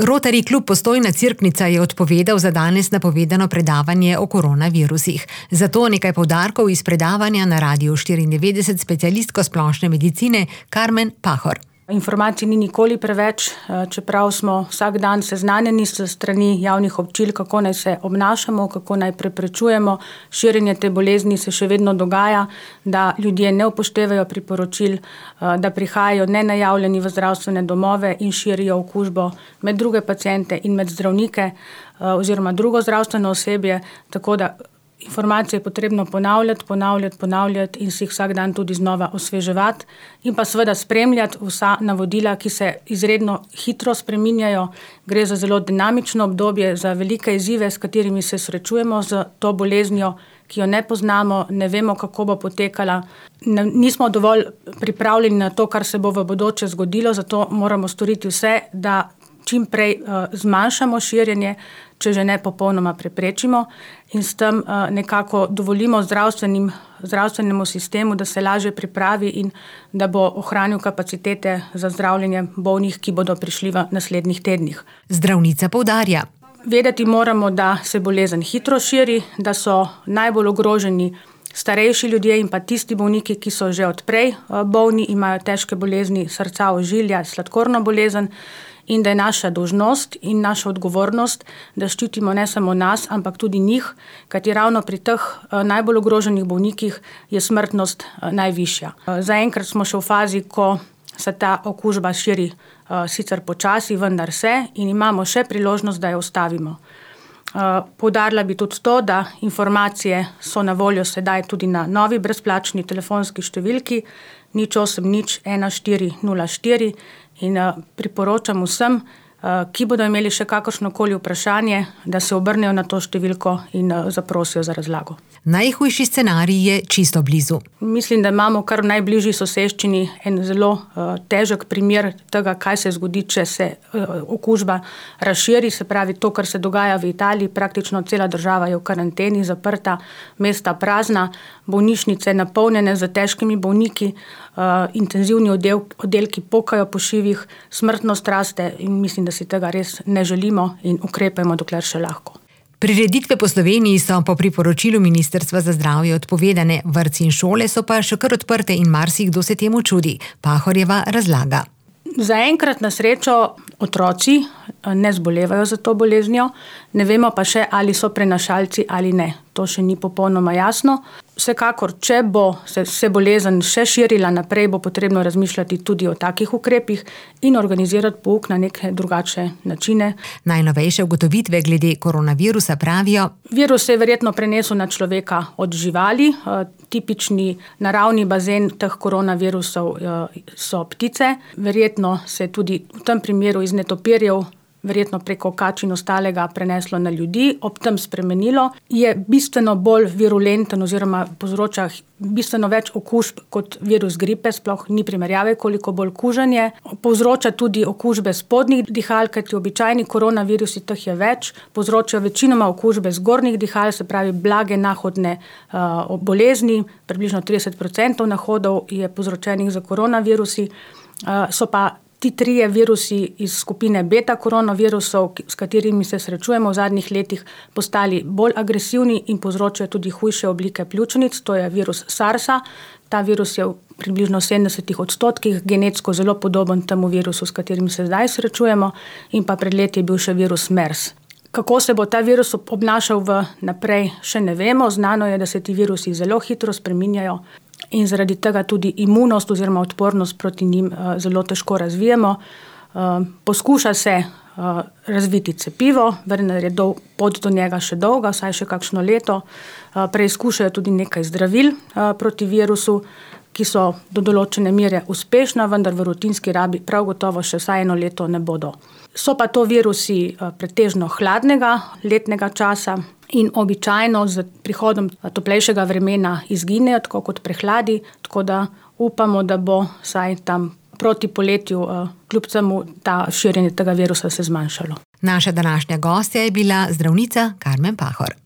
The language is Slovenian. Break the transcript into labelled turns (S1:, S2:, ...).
S1: Rotary klub Postojna Cerknica je odpovedal za danes napovedano predavanje o koronavirusih. Zato nekaj poudarkov iz predavanja na Radiu 94 specialistko splošne medicine Karmen Pahor.
S2: Informacij ni nikoli preveč, čeprav smo vsak dan seznanjeni s strani javnih občil, kako naj se obnašamo, kako naj preprečujemo širjenje te bolezni, se še vedno dogaja, da ljudje ne upoštevajo priporočil, da prihajajo nenajavljeni v zdravstvene domove in širijo okužbo med druge paciente in med zdravnike oziroma drugo zdravstveno osebje, tako da informacije je potrebno ponavljati in si jih vsak dan tudi znova osveževati in pa seveda spremljati vsa navodila, ki se izredno hitro spreminjajo. Gre za zelo dinamično obdobje, za velike izzive, s katerimi se srečujemo z to boleznijo, ki jo ne poznamo, ne vemo, kako bo potekala. Nismo dovolj pripravljeni na to, kar se bo v bodoče zgodilo, zato moramo storiti vse, da čim prej zmanjšamo širjenje, če že ne popolnoma preprečimo in s tem nekako dovolimo zdravstvenemu sistemu, da se lažje pripravi in da bo ohranil kapacitete za zdravljenje bolnih, ki bodo prišli v naslednjih tednih.
S1: Zdravnica poudarja.
S2: Vedeti moramo, da se bolezen hitro širi, da so najbolj ogroženi starejši ljudje in pa tisti bolniki, ki so že odprej bolni, imajo težke bolezni srca, ožilja, sladkorno bolezen, in da je naša dolžnost in naša odgovornost, da ščitimo ne samo nas, ampak tudi njih, kajti ravno pri teh najbolj ogroženih bolnikih je smrtnost najvišja. Zaenkrat smo še v fazi, ko se ta okužba širi sicer počasi, vendar se in imamo še priložnost, da jo ustavimo. Poudarila bi tudi to, da informacije so na voljo sedaj tudi na novi brezplačni telefonski številki 080 1404 in priporočam vsem, ki bodo imeli še kakršnokoli vprašanje, da se obrnejo na to številko in zaprosijo za razlago.
S1: Najhujši scenarij je čisto blizu.
S2: Mislim, da imamo kar v najbližji soseščini en zelo težek primer tega, kaj se zgodi, če se okužba razširi, se pravi to, kar se dogaja v Italiji, praktično cela država je v karanteni, zaprta, mesta prazna, bolnišnice napolnjene z težkimi bolniki, intenzivni oddelki pokajo po šivih, smrtnost raste in mislim, da si tega res ne želimo in ukrepajmo, dokler še lahko.
S1: Prireditve po Sloveniji so po priporočilu Ministrstva za zdravje odpovedane, vrtci in šole so pa še kar odprte in marsikdo se temu čudi. Pahorjeva razlaga.
S2: Zaenkrat na srečo otroci ne zbolevajo za to boleznijo, ne vemo pa še, ali so prenašalci ali ne. To še ni popolnoma jasno. Vsekakor, če bo se bolezen še širila naprej, bo potrebno razmišljati tudi o takih ukrepih in organizirati pouk na neke drugačne načine.
S1: Najnovejše ugotovitve glede koronavirusa pravijo:
S2: virus se je verjetno prenesel na človeka od živali. Tipični naravni bazen teh koronavirusov so ptice. Verjetno se je tudi v tem primeru iz netopirjev verjetno preko kač in ostalega preneslo na ljudi, ob tem spremenilo, je bistveno bolj virulenten oziroma povzroča bistveno več okužb kot virus gripe, sploh ni primerjave, koliko bolj kužen je. Povzroča tudi okužbe spodnjih dihal, kajti običajni koronavirusi teh je več, povzročajo večinoma okužbe zgornjih dihal, se pravi blage nahodne bolezni, približno 30% nahodov je povzročenih za koronavirusi, so pa ti trije virusi iz skupine beta koronavirusov, s katerimi se srečujemo v zadnjih letih, postali bolj agresivni in povzročajo tudi hujše oblike pljučnic, to je virus SARS-a. Ta virus je v približno 70% genetsko zelo podoben temu virusu, s katerim se zdaj srečujemo, in pa pred leti je bil še virus MERS. Kako se bo ta virus obnašal naprej, še ne vemo. Znano je, da se ti virusi zelo hitro spreminjajo in zaradi tega tudi imunost oziroma odpornost proti njim zelo težko razvijemo. Poskuša se razviti cepivo, vendar je pot do njega še dolga, vsaj še kakšno leto. Preizkušajo tudi nekaj zdravil proti virusu, ki so do določene mere uspešna, vendar v rutinski rabi prav gotovo še vsaj 1 leto ne bodo. So pa to virusi pretežno hladnega letnega časa in običajno z prihodom toplejšega vremena izginejo, tako kot prehladi, tako da upamo, da bo vsaj tam proti poletju kljub temu ta širjenje tega virusa se zmanjšalo.
S1: Naša današnja gostja je bila zdravnica Karmen Pahor.